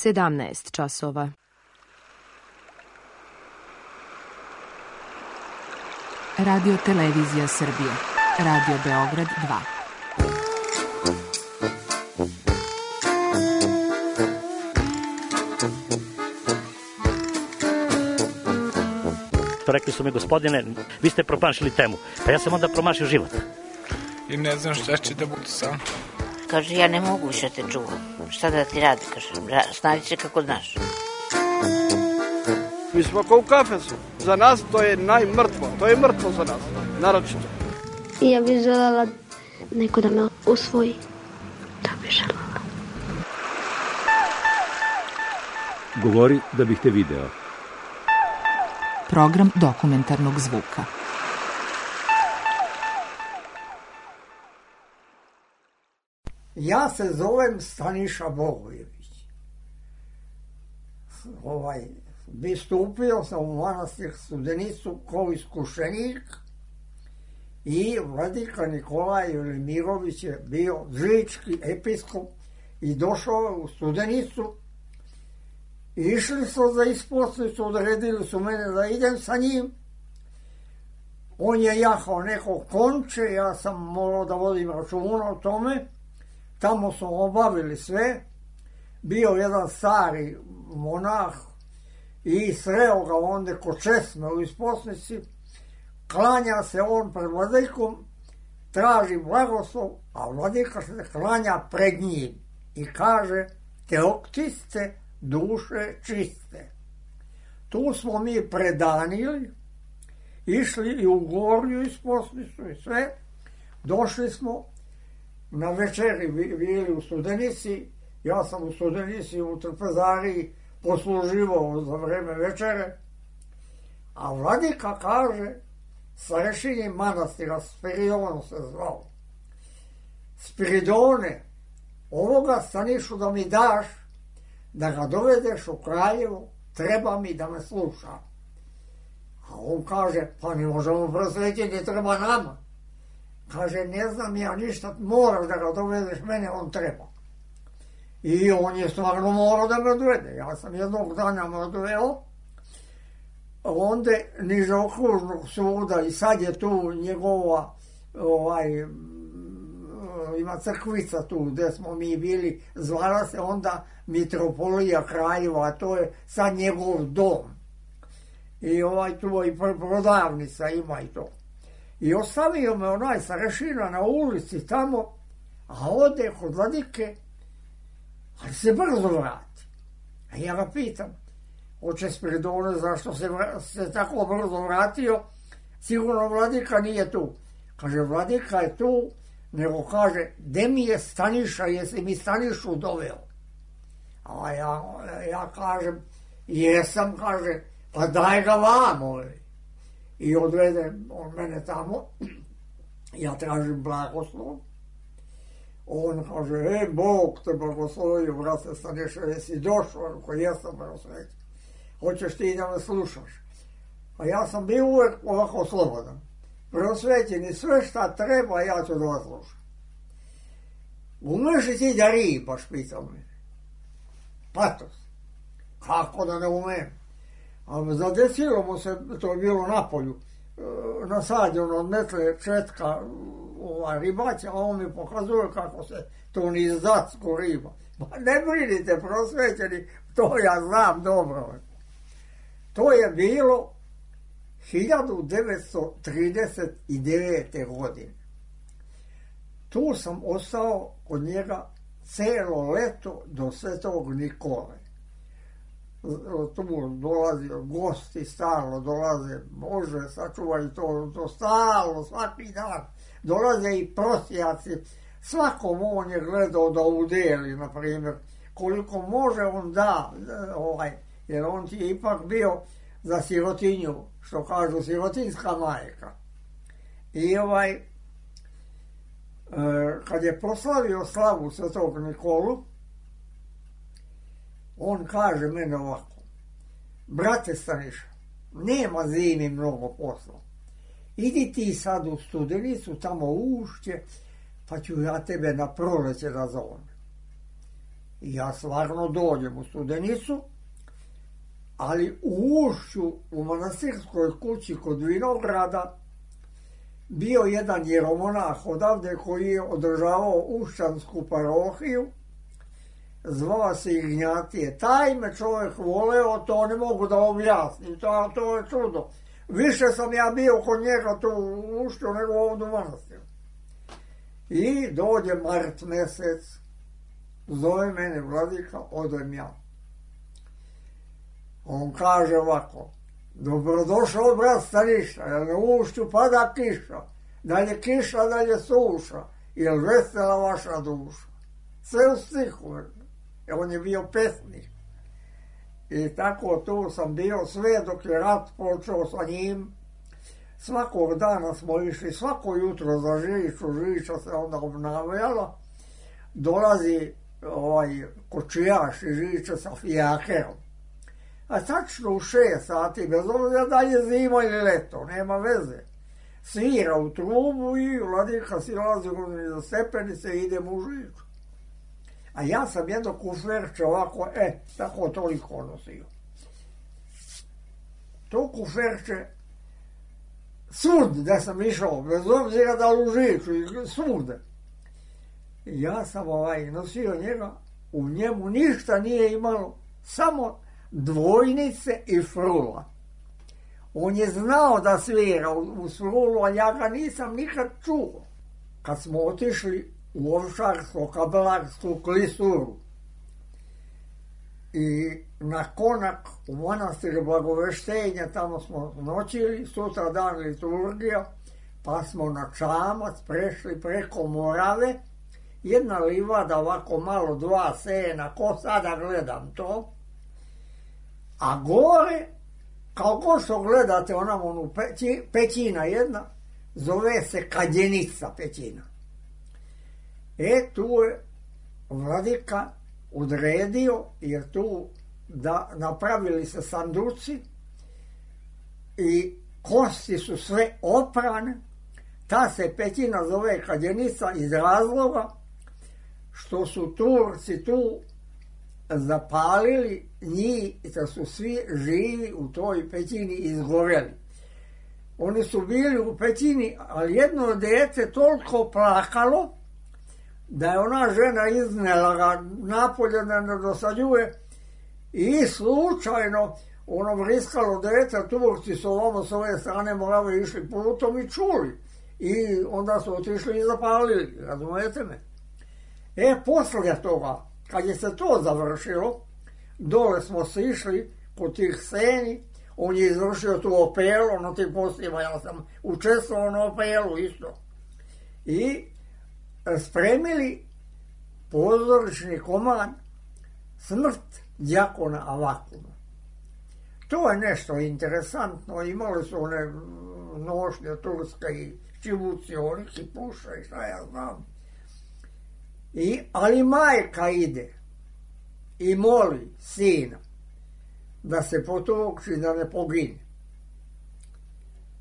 17 časova. Radio Televizija Srbije. Radio Beograd 2. Rekli su mi, gospodine, vi ste promašili temu. Pa ja sam onda promašio život. I ne znam šta će da bude sam. Kaže, ja ne mogu više te čuvam. Šta da ti radi, kaže, snađi se kako znaš. Mi smo kao u kafesu. Za nas to je najmrtvo. To je mrtvo za nas, naročito. I ja bih željela neko da me usvoji. To bih željela. Govori da bih te video. Program dokumentarnog zvuka. Ja se zovem Staniša Bogojević. Stupio sam u manastir Studenicu kao iskušenik i vladika Nikolaj Velimirović je bio žički episkop i došao u Studenicu. Išli su za isposnicu, odredili su mene da idem sa njim. On je jahao neko konče, ja sam morao da vodim računa o tome. Tamo smo obavili sve. Bio jedan stari monah i sreo ga onda kod česme u isposnici. Klanja se on pred vladikom, traži blagoslov, a vladika se klanja pred njim i kaže: Teoktiste, duše čiste. Tu smo mi predanili, išli i u Gornju isposnicu i sve. Došli smo na večeri, bili u Studenici. Ja sam u Studenici u Trpezariji posluživao za vreme večere. A vladika kaže, starešini manastira, Spiridon se zvao: Spiridone, ovoga Stanišu da mi daš, da ga dovedeš u Kraljevo, treba mi da me sluša. A on kaže, pa ne možemo prosvetiti, ne treba nama. Kaže, ne znam ja ništa, moraš da ga dovedeš, mene on treba. I on je stvarno morao da me dovede. Ja sam jednog dana me doveo, onda niže okružnog suda i sad je tu njegova, ima crkvica tu gde smo mi bili, zvala se onda Mitropolija Kraljeva, a to je sad njegov dom. I tu i prodavnica ima i to. I ostavio me onaj starešina na ulici tamo, a ode kod vladike, ali se brzo vrati. A ja ga pitam, oče Spiridone, zašto se tako brzo vratio? Sigurno vladika nije tu. Kaže, vladika je tu, nego kaže, gde mi je Staniša, jesi mi Stanišu doveo? A ja kažem, jesam, kaže, pa daj ga vam, I odvede on mene tamo, ja tražim blagoslov. On kaže, Bog te blagoslovio, brate Staniša, jesi došao, ako jesam prosvećen. Hoćeš ti da me slušaš? A ja sam bio uvek ovako slobodan. Prosvećen i sve šta treba, ja ću da vas slušam. Umeš li ti da ribaš, pitao me. Patos. Kako da ne umem? A zadesilo mu se, to je bilo na polju, nasađeno od metle četka ribaća, a on mi pokazuje kako se to nizdacko riba. Pa ne brinite, prosvećeni, to ja znam dobro. To je bilo 1939. godine. Tu sam ostao kod njega celo leto do Svetog Nikole. Tu dolazi gosti, stalno dolaze, Bože, sačuvaj to stalno, svaki dan. Dolaze i prosjaci, svakom on je gledao da udeli, na primjer, koliko može on da, jer on ti je ipak bio za sirotinju, što kažu, sirotinska majka. I kad je proslavio slavu Svetog Nikolu, on kaže mene ovako: brate Staniša, nema zimi mnogo posla. Idi ti sad u Studenicu, tamo u Ušće, pa ću ja tebe na proleće da zovem. I ja stvarno dođem u Studenicu, ali u ušću, u manastirskoj kući kod Vinograda, bio jedan jeromonah odavde koji je održavao ušćansku parohiju, zvao se Ignjatije. Taj me čovjek voleo, to ne mogu da objasnim, to je čudo. Više sam ja bio kod njega tu u ušću nego ovdje u manastiru. I dođe mart mesec, zove mene vladika, odem ja. On kaže ovako, dobrodošao brat Staniša, jer na ušću pada kiša, dalje kiša, dalje suša, jer vesela vaša duša. Sve u stihu, on je bio pesnik. I tako tu sam bio sve dok je rat počeo sa njim. Svakog dana smo išli, svako jutro za Žiču, Žiča se onda obnavljala, dolazi kočijaš iz Žiča sa fijakerom. A tačno u 6 sati, bez obzira da je zima ili leto, nema veze, svira u trubu i vladika silazi za stepenice i idemo u Žiču. A ja sam jedno kuferče ovako, tako toliko nosio. To kuferče, svud da sam išao, bez obzira da u Žiču, svud. Ja sam nosio njega, u njemu ništa nije imalo, samo dvojnice i frula. On je znao da svira u frulu, a ja ga nisam nikad čuo. Kad smo otišli u Ovčarsko-Kabelarsku klisuru i na Konak u manastir Blagoveštenja, tamo smo noćili, sutra dan liturgija, pa smo na Čamac prešli preko Morave, jedna livada ovako malo, 2 sena, ko sada gledam to, a gore, kao ko što gledate onu pećina jedna, zove se Kadjenica pećina. Tu je vladika odredio, jer tu napravili se sanduci i kosti su sve oprane. Ta se pećina zove Kadjenica iz razloga što su Turci tu zapalili njih, da su svi živi u toj pećini izgoreli. Oni su bili u pećini, ali jedno dete toliko plakalo da je ona žena iznela ga napolje da ne dosađuje i slučajno ono vriskalo dete, Turci su ovamo s ove strane Morave išli putom i čuli. I onda su otišli i zapalili, razumijete me? Poslije toga, kad je se to završilo, dole smo se išli kod tih seni, on je izvršio tu opelu, na tim postima, ja sam učestvovao na opelu isto. I spremili pozorišni komad Smrt đakona Avakuma. To je nešto interesantno, imali su one nošnje turske i čibuci, oriki, puša i šta ja znam. Ali majka ide i moli sina da se potoči, da ne pogine.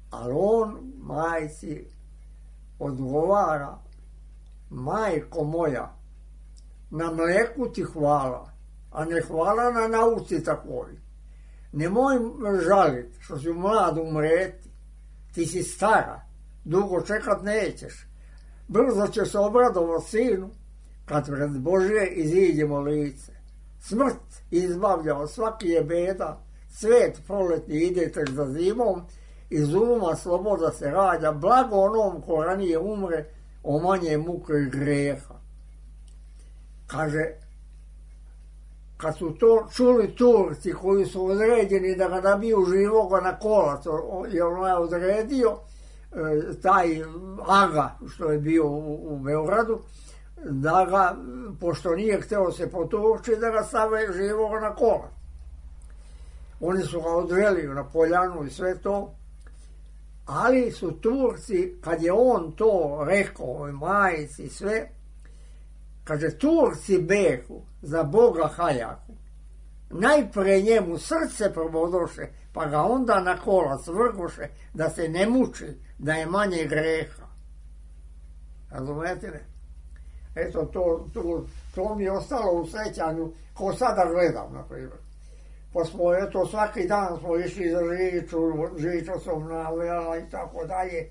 Ali on majci odgovara, majko moja, na mleku ti hvala, a ne hvala na nauci takvoj. Nemoj žaliti što si mlad umreti, ti si stara, dugo čekat nećeš. Brzo će se obradovati sinu, kad pred Božje iziđemo lice. Smrt izbavlja od svaki je beda, svet proletni ide tek za zimom, iz uma sloboda se rađa, blago onom ko ranije umre, o manje muke i greha. Kaže, kad su to čuli Turci koji su određeni da ga nabiju živoga na kolac, jer on je odredio taj Aga što je bio u Beogradu, da ga, pošto nije hteo se potući, da ga stave živoga na kolac. Oni su ga odveli na poljanu i sve to, ali su Turci, kad je on to rekao, majici sve, kaže, Turci behu za Boga Haljaku, najpre njemu srce probodoše, pa ga onda na kolac vrgoše, da se ne muči, da je manje greha. Razumete me? Eto, to mi je ostalo u sećanju, ko sada gledam, na primjer. Pa smo, eto, svaki dan smo išli za Žiču sam navela i tako dalje.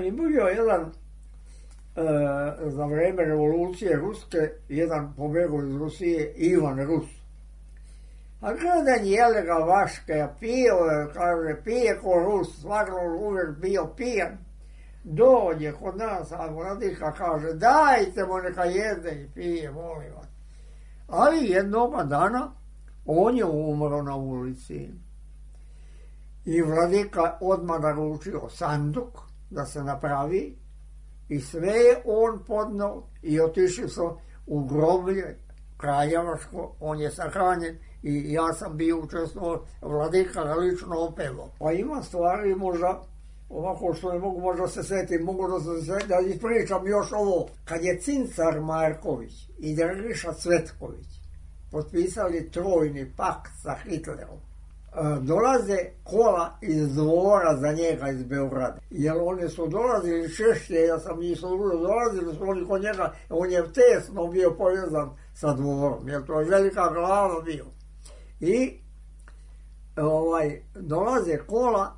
I bio jedan, za vreme revolucije Ruske, jedan pobegao iz Rusije, Ivan Rus. A gledan jele ga vaške, pio, kaže, pije ko Rus, stvarno uvijek bio pijan. Dođe kod nas, a vladika kaže, dajte mu neka jede i pije, molim vas. Ali jednoga dana on je umro na ulici. I vladika odmah naručio sanduk da se napravi i sve je on podnao i otišli su u groblje kraljevačko, on je sahranjen i ja sam bio učestvovao, vladika ga lično opevao. Pa ima stvari možda, ovako što ne mogu možda se sjetiti, mogu da ispričam još ovo. Kad je Cincar Marković i Drgiša Cvetković potpisali trojni pakt sa Hitlerom, dolaze kola iz dvora za njega iz Beograda. Jer oni su dolazili češće, ja sam njih služio, dolazili su oni kod njega, on je tesno bio povezan sa dvorom, jer to je velika glava bio. I dolaze kola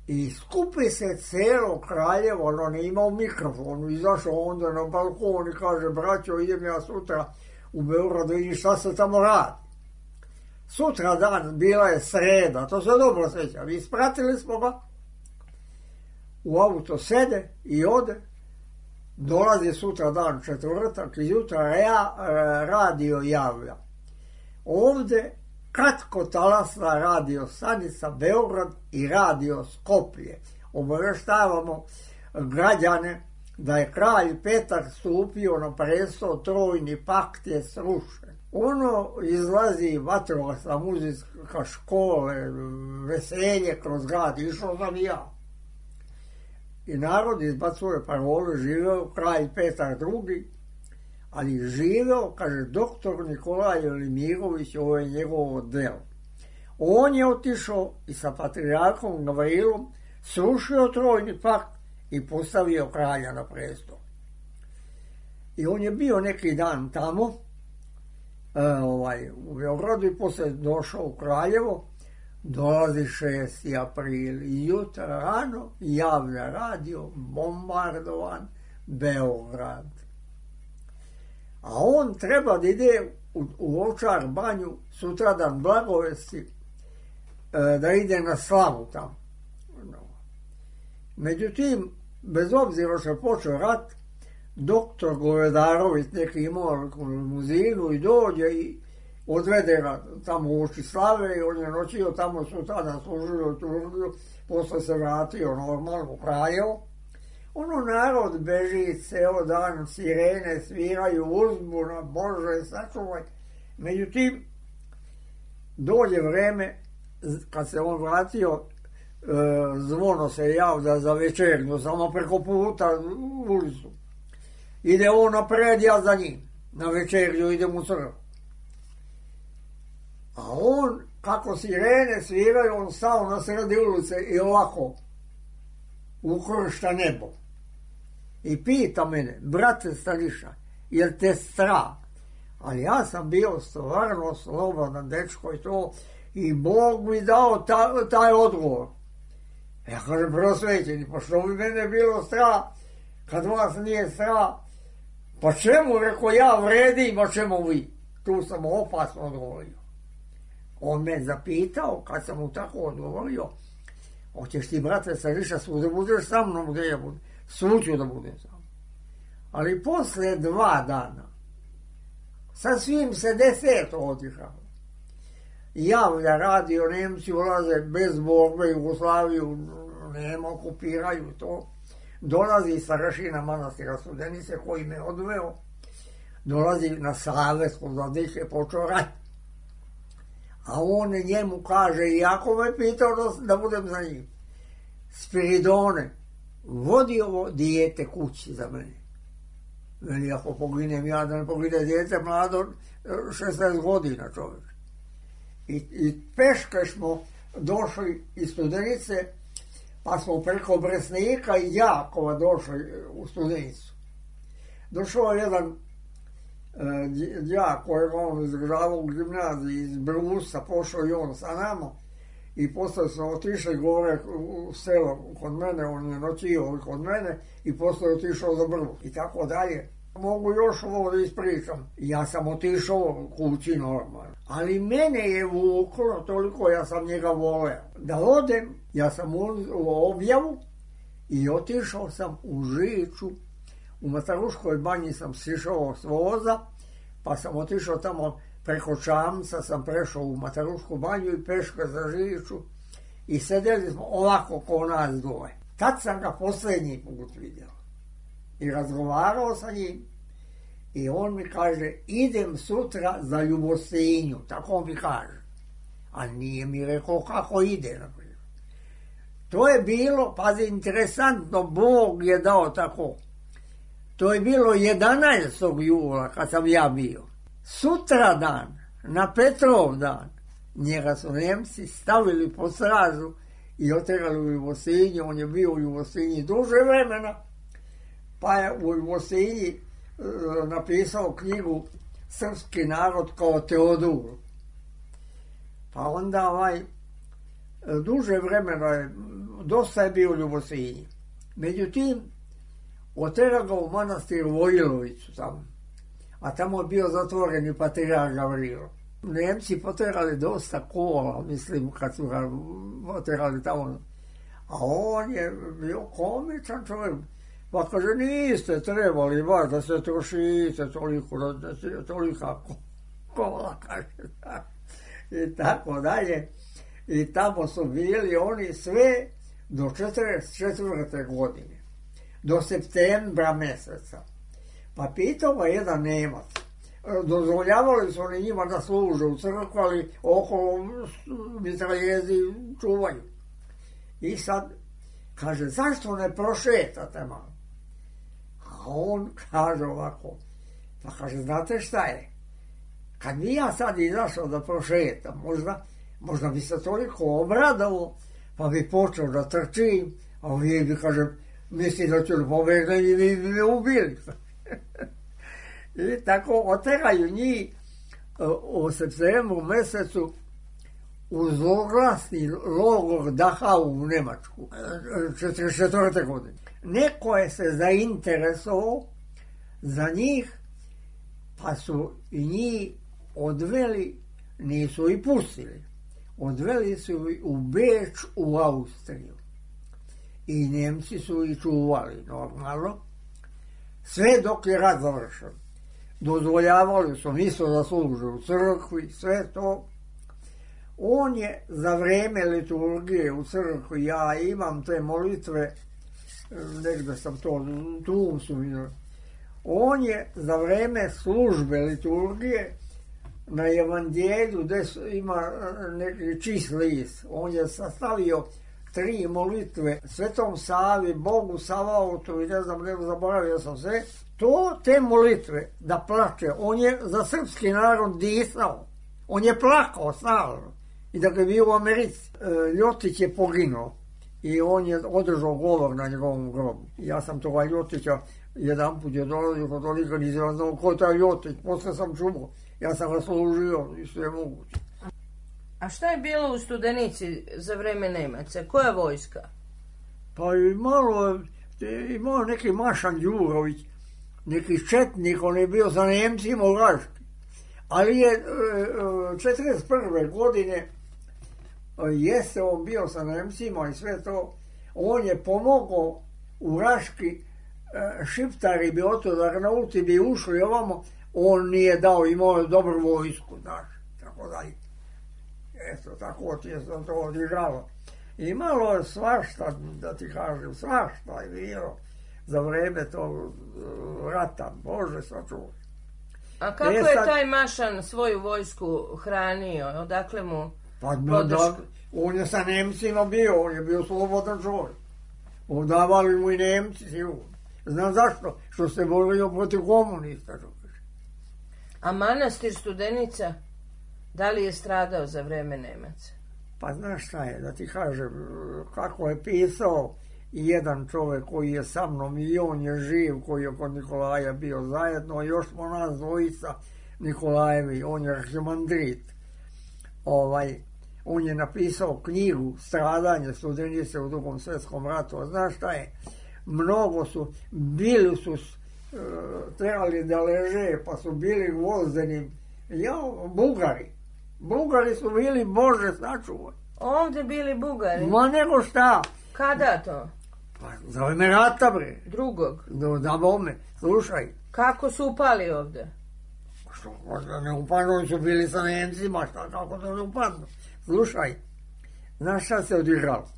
i skupi se celo Kraljevo, on je imao mikrofon, izašao onda na balkon i kaže, braćo, idem ja sutra u Beogradu, vidim šta se tamo radi. Sutra dan, bila je sreda, to se dobro sjećam, ispratili smo ga, u auto sede i ode, dolazi sutra dan, četvrtak, i jutra radio javlja. Ovde kratkotalasna radio stanica Beograd i radio Skoplje. Obaveštavamo građane da je kralj Petar stupio na presto, trojni pakt je srušen. Ono izlazi vatrogasna muzika, škole, veselje kroz grad, išao sam i ja. I narod izbacuje parole, živeo kralj Petar II, ali živeo, kaže, doktor Nikolaj Velimirović, ovo je njegovo delo. On je otišao i sa patrijarhom Gavrilom srušio trojni pakt i postavio kralja na presto. I on je bio neki dan tamo, u Beogradu, i poslije došao u Kraljevo, dolazi 6. april i jutra rano javlja radio, bombardovan Beograd. A on treba da ide u Ovčar banju sutradan Blagovesti, da ide na slavu tamo. Međutim, bez obzira što je počeo rat, doktor Govedarović neki imao limuzinu i dođe i odvede ga tamo u Očislave i on je noćio tamo, sutradan služio u Tužlju, posle se vratio normalno u Kraljevo. Ono narod beži ceo dan, sirene sviraju, uzbuna, Bože sačuvaj. Međutim, dođe vreme, kad se on vratio, zvono se javlja za večernju, samo preko puta u ulicu. Ide on napred, ja za njim. Na večernju idem u crkvu. A on, kako sirene sviraju, on stao na sredi ulice i ovako ukršta nebo. I pita mene, brate Staniša, jel te strah? Ali ja sam bio stvarno slobodan dečko i to, i Bog mi dao taj odgovor. Ja kažem, prosvećeni, pa što bi mene bilo strah, kad vas nije strah? Pa čemu, reko, ja vredim, a čemu vi? Tu sam opasno odgovorio. On me zapitao, kad sam mu tako odgovorio, hoćeš ti, brate Staniša, da budeš sa mnom gdje ja budem? Svuću da budem sam. Ali posle 2 dana, sasvim se 10 otišao. Javlja radio, Nemci ulaze bez borbe, Jugoslaviju nema, okupiraju to. Dolazi starešina manastira Studenice koji me odveo, dolazi na savez kod vladike, počeo rat. A on njemu kaže, iako me pitao da budem za njim, Spiridone, vodi ovo dijete kući za mene. Veli, ako poginem ja, da ne pogine dijete mlado, 16 godina čovjek. I peške smo došli iz Studenice, pa smo preko Bresnika i Jakova došli u Studenicu. Došao jedan đak kojeg on izdržavao u gimnaziji iz Brusa, pošao i on sa nama i posle smo otišli gore u selo kod mene, on je noćio kod mene i posle otišao za Brvu i tako dalje. Mogu još ovo da ispričam. Ja sam otišao kući normalno. Ali mene je vuklo toliko, ja sam njega voleo. Da odem, ja sam u objavu i otišao sam u Žiču. U Mataruškoj banji sam sišao s voza, pa sam otišao tamo preko Čamca, sam prešao u Matarušku banju i peška za Žiču i sedeli smo ovako ko nas dvoje. Tad sam ga posljednji put vidio i razgovarao sa njim i on mi kaže idem sutra za Ljubostinju, tako mi kaže. A nije mi rekao kako ide, naprijed. To je bilo, pazi, interesantno, Bog je dao tako. To je bilo 11. jula kad sam ja bio. Sutra dan, na Petrov dan, njega su Nemci stavili po stražu i oterali u Ljubostinju. On je bio u Ljubostinji duže vremena, pa je u Ljubostinji napisao knjigu Srpski narod kao Teodor. Pa onda duže vremena je, dosta je bio u Ljubostinji. Međutim, oterao ga u manastir Vojilovicu tamo, a tamo je bio zatvoreni patrijarh Gavrilo. Nemci poterali dosta kola, mislim, kad su ga poterali tamo. A on je bio komičan čovjek. Pa kaže, niste trebali baš da se trošite toliko, da se tolika kola, kaže. I tako dalje. I tamo su bili oni sve do 44. godine. Do septembra mjeseca. Pa pitao ga jedan Nemac. Dozvoljavali su oni njima da služe u crkvu, ali okolo mitraljezi čuvaju. I sad kaže, zašto ne prošetate malo? A on kaže ovako, pa kaže, znate šta je? Kad bi ja sad izašao da prošetam, možda bi se toliko obradao, pa bi počeo da trčim, a vi bi, kaže, misli da ću pobegne i vi bi me ubili. I tako oteraju njih u septembru mjesecu u zloglasni logor Dachau u Nemačku, 44. godine. Neko je se zainteresovao za njih, pa su i njih odveli, nisu i pustili, odveli su i u Beč u Austriju. I Nemci su i čuvali normalno, sve dok je rat završen. Dozvoljavali su isto da služe u crkvi, sve to. On je za vreme liturgije u crkvi, ja imam te molitve, negdje sam to, tu su mi. On je za vreme službe liturgije na evanđelju gdje ima neki čist list, on je sastavio 3 molitve Svetom Savi, Bogu Savaotu i ne znam, zaboravio sam sve. Te molitve da plače, on je za srpski narod disao, on je plakao stalno i da ga je bio u Americi. Ljotić je poginuo i on je održao govor na njegovom grobu. Ja sam toga Ljotića jedan put je dolazio kod toliko, nisam znao ko je taj Ljotić, posle sam čuo, ja sam ga služio i sve moguće. A šta je bilo u Studenici za vreme Nemaca? Koja vojska? Pa imao neki Mašan Đurović, neki četnik, on je bio za Nemcima u Raški. Ali je 41. godine jeste on bio sa Nemcima i sve to, on je pomogao u Raški, šiptari bi oto Arnauti bi ušli ovamo, on nije dao, imao je dobru vojsku, znaš, tako dalje. Eto, tako ti je to odigralo. Imalo je svašta, da ti kažem, svašta je bilo za vreme tog rata, Bože sačuvaj. A kako je taj Mašan svoju vojsku hranio? Odakle mu podršku? On je sa Nemcima bio, on je bio slobodan čovjek. Odavali mu i Nemci, sigurno. Znam zašto? Što se borio protiv komunista. A manastir Studenica, da li je stradao za vreme Nemaca? Pa znaš šta je, da ti kažem, kako je pisao i jedan čovjek koji je sa mnom i on je živ, koji je kod Nikolaja bio zajedno, još smo nas dvojica Nikolajevi, on je arhimandrit. On je napisao knjigu Stradanje Studenice u Drugom svjetskom ratu. A znaš šta je? Mnogo su, bili su trebali da leže, pa su bili gvozdeni. Bugari. Bugari su bili, Bože sačuvaj. Ovdje bili Bugari? Ma nego šta? Kada to? Pa za vreme rata, bre. Drugog? Da bome, slušaj. Kako su upali ovdje? Što, ne upadnu, su bili sa Nemcima, šta, kako da ne upadnu? Slušaj, znaš šta se odigralo?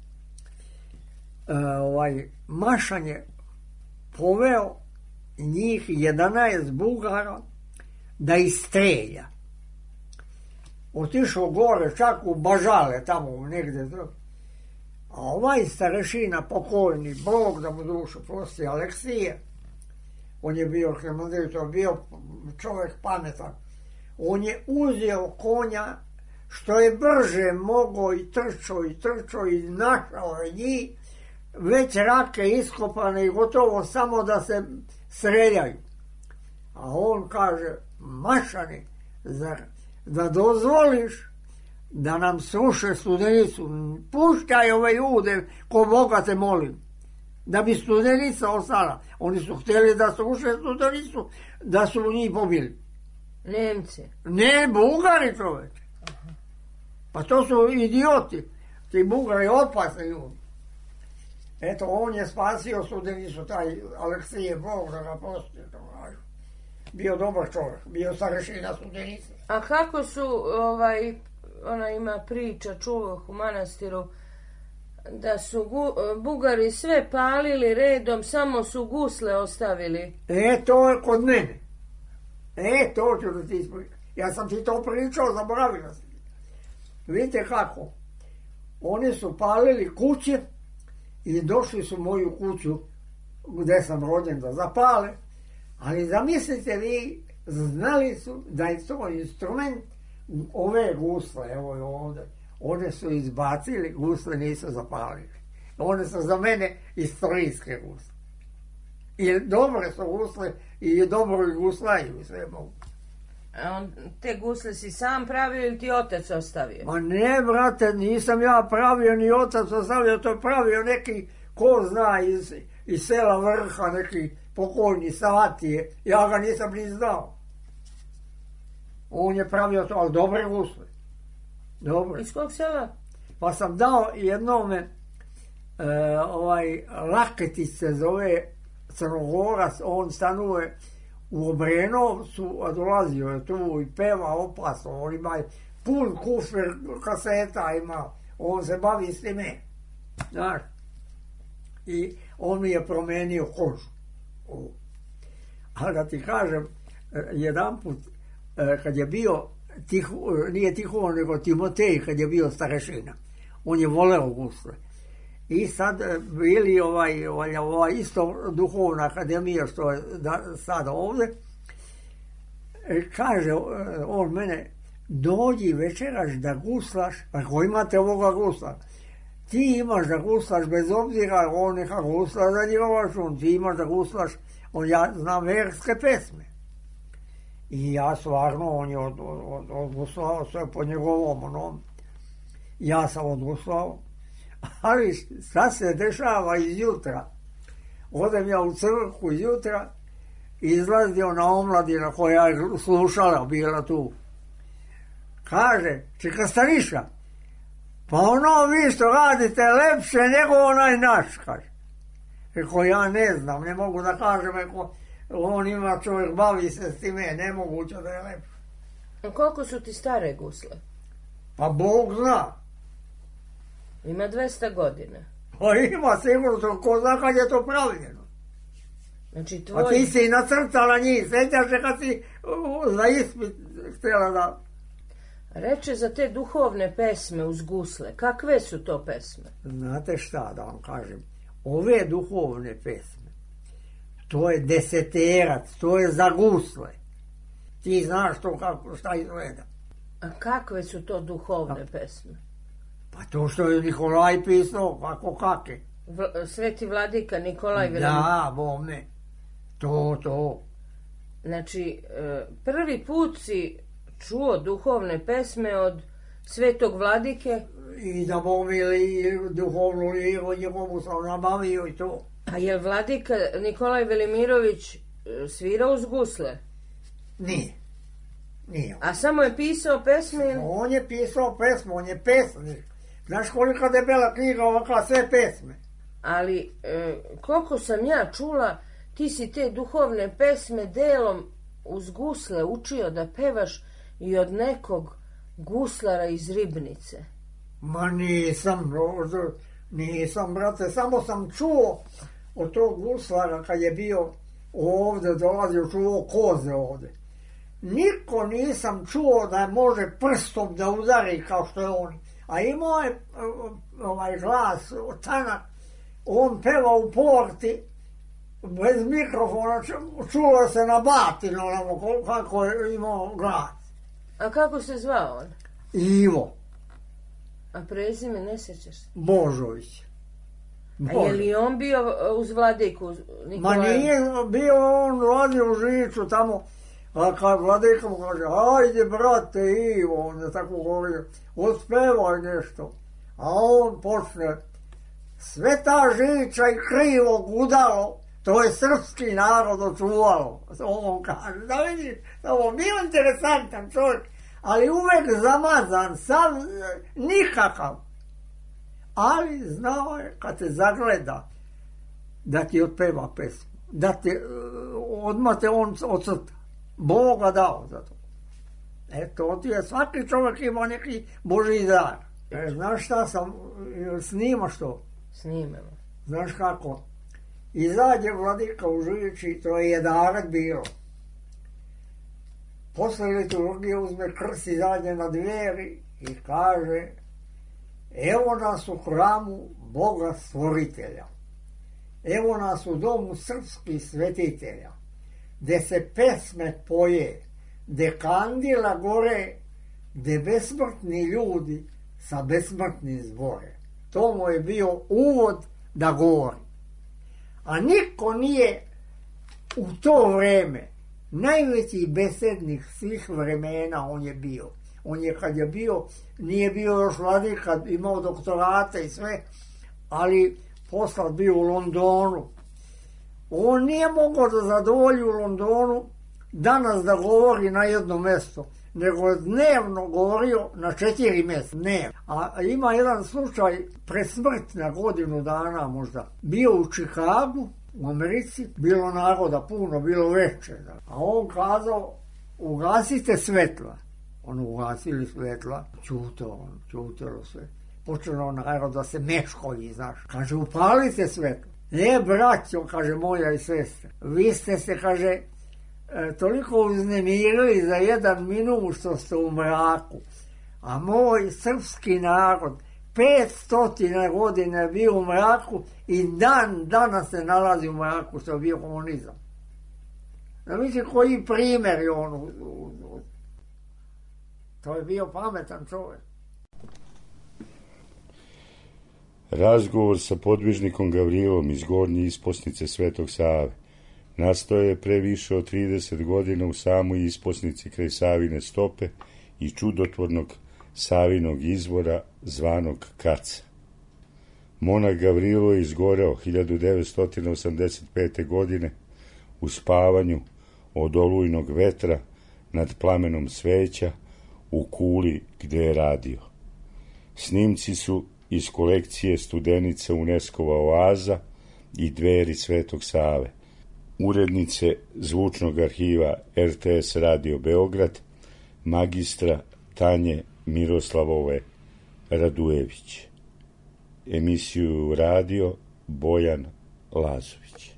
Mašan je poveo njih 11 Bugara da istrelja. Otišao gore, čak u Bažale, tamo negdje. A starešina, pokojni, Bog da mu dušu prosti, Aleksije, on je bio arhimandrit, bio čovjek pametan. On je uzeo konja što je brže mogao i trčao i našao je njih, već rake iskopane i gotovo samo da se streljaju. A on kaže, Mašani, da dozvoliš da nam sruše Studenicu, puštaj ove ljude, ko Boga te molim, da bi Studenica ostala. Oni su htjeli da sruše Studenicu, da su njih pobili. Nemci? Ne, Bugari, čoveče. Pa to su idioti. Ti Bugari opasni ljudi. Eto, on je spasio Studenicu, taj Aleksije, Bog da ga prosti. Bio dobar čovjek, bio starešina Studenice. A kako su, ona ima priča, čulo u manastiru, da su Bugari sve palili redom, samo su gusle ostavili. To je kod mene. To ću da ti ispričam. Ja sam ti to pričao, zaboravila sam. Vidite kako. Oni su palili kuće i došli su moju kuću gdje sam rođen da zapale. Ali zamislite vi, znali su da je to instrument, ove gusle, evo je ovdje, one su izbacili, gusle nisu zapalili. One su za mene istorijske gusle. I dobre su gusle i dobro i guslaju sve mogu. A te gusle si sam pravio ili ti otac ostavio? Ma ne, brate, nisam ja pravio, ni otac ostavio, to je pravio neki, ko zna, iz sela Vrha, neki pokojni Savatije, ja ga nisam ni znao. On je pravio to, ali dobre gusle. Dobre. Iz kog sela? Pa sam dao jednome, Laketić se zove, Crnogorac, on stanuje u Obrenovcu, a dolazio je tu i peva opasno, on ima pun kufer kaseta ima, on se bavi s time, znaš. I on mi je promenio kožu. A da ti kažem, jedan put, kad je bio, nije Tihon, nego Timotej, kad je bio starešina, on je voleo gusle. I sad bili ova isto duhovna akademija što je sada ovdje, kaže on mene, dođi večeraš da guslaš, ako imate ovoga gusla, ti imaš da guslaš bez obzira, on neka gusla za njegov račun, ti imaš da guslaš, ja znam verske pesme. I ja stvarno, on je odguslao sve po njegovom onom, ja sam odguslao. Ali šta se dešava izjutra? Odem ja u crkvu izjutra, izlazio na omladina koja je slušala, bila tu. Kaže, čeka Staniša, pa vi što radite lepše nego onaj naš, kaže. Eko ja ne znam, ne mogu da kažem, on ima čovjek, bavi se s time, nemoguće da je lepše. A koliko su ti stare gusle? Pa Bog zna. Ima 200 godina. Pa ima sigurno, ko zna kad je to pravljeno. Znači tvoj... A ti si nacrtala njih, sjećaš se kad si za ispit htjela da... Reče za te duhovne pesme uz gusle, kakve su to pesme? Znate šta da vam kažem, ove duhovne pesme, to je deseterac, to je za gusle. Ti znaš to kako, šta izgleda. A kakve su to duhovne pesme? Pa to što je Nikolaj pisao, kako kakve. Sveti vladika Nikolaj Velimirović. Da, bome. To. Znači, prvi put si čuo duhovne pesme od svetog vladike. I da bome ili duhovnu lijevo njegovu sam nabavio i to. A je li vladika Nikolaj Velimirović svirao uz gusle? Nije. A samo je pisao pesme? On je pisao pesmu, on je pesnik. Znaš kolika debela knjiga ovakva, sve pesme. Ali, koliko sam ja čula, ti si te duhovne pesme delom uz gusle učio da pevaš i od nekog guslara iz Ribnice. Ma nisam, brate, samo sam čuo od tog guslara kad je bio ovde, dolazio, čuo koze ovde. Niko nisam čuo da može prstom da udari kao što je on. A imao je glas, tanak, on peva u porti, bez mikrofona, čulo se na batinu, kako je imao glas. A kako se zvao on? Ivo. A prezime ne sjećaš se? Božović. A je li on bio uz vladiku Nikolaja? Ma nije bio on vladio u Žiču tamo, a kad vladika mu kaže, ajde brate Ivo, on je tako govorio, ospevaj nešto. A on počne, sve ta Žiča i krivo gudalo, to je srpski narod očuvalo. On kaže, da vidiš, ovo bio interesantan čovjek, ali uvek zamazan, sam nikakav. Ali znao je kad te zagleda da ti otpeva pesmu, da te odmah te on ocrta. Boga dao za to. Eto, ti je svaki čovjek ima neki Božji dar. Znaš šta sam, snimaš to? Snimamo. Znaš kako? Izađe vladika u Žiči, to je 11 bilo. Posle liturgije uzme krst, izađe na dveri i kaže, evo nas u hramu Boga stvoritelja. Evo nas u domu srpskih svetitelja, gde se pesme poje, gde kandila gore, gde besmrtni ljudi sa besmrtnim zbore. To mu je bio uvod da govori. A niko nije u to vreme, najveći besednik svih vremena on je bio. On je kad je bio, nije bio još vladika, imao doktorate i sve, ali posle bio u Londonu. On nije mogao da zadovolji u Londonu danas da govori na jedno mesto, nego je dnevno govorio na 4 mjesta. A ima jedan slučaj pred smrt na godinu dana možda. Bio u Čikagu, u Americi, bilo naroda puno, bilo veće. A on kazao, ugasite svetla. Ono, ugasili svetla, čutilo sve. Počelo narod da se meškolji, znaš. Kaže, upalite svetlo. Braćo, kaže moja i sestra, vi ste se, kaže, toliko uznemirili za 1 minut što ste u mraku. A moj srpski narod 500 godina je bio u mraku i danas se nalazi u mraku što je bio komunizam. Da misli koji primjer je on. To je bio pametan čovjek. Razgovor sa podvižnikom Gavrilom iz Gornje isposnice Svetog Save nastao je pre više od 30 godina u samoj isposnici kraj Savine stope i čudotvornog Savinog izvora zvanog Kaca. Monah Gavrilo je izgoreo 1985. godine u spavanju od olujnog vetra nad plamenom sveća u kuli gde je radio. Snimci su iz kolekcije Studenica UNESCO-va oaza i Dveri Svetog Save, urednice zvučnog arhiva RTS Radio Beograd, magistra Tanje Miroslavove Radujević. Emisiju radio Bojan Lazović.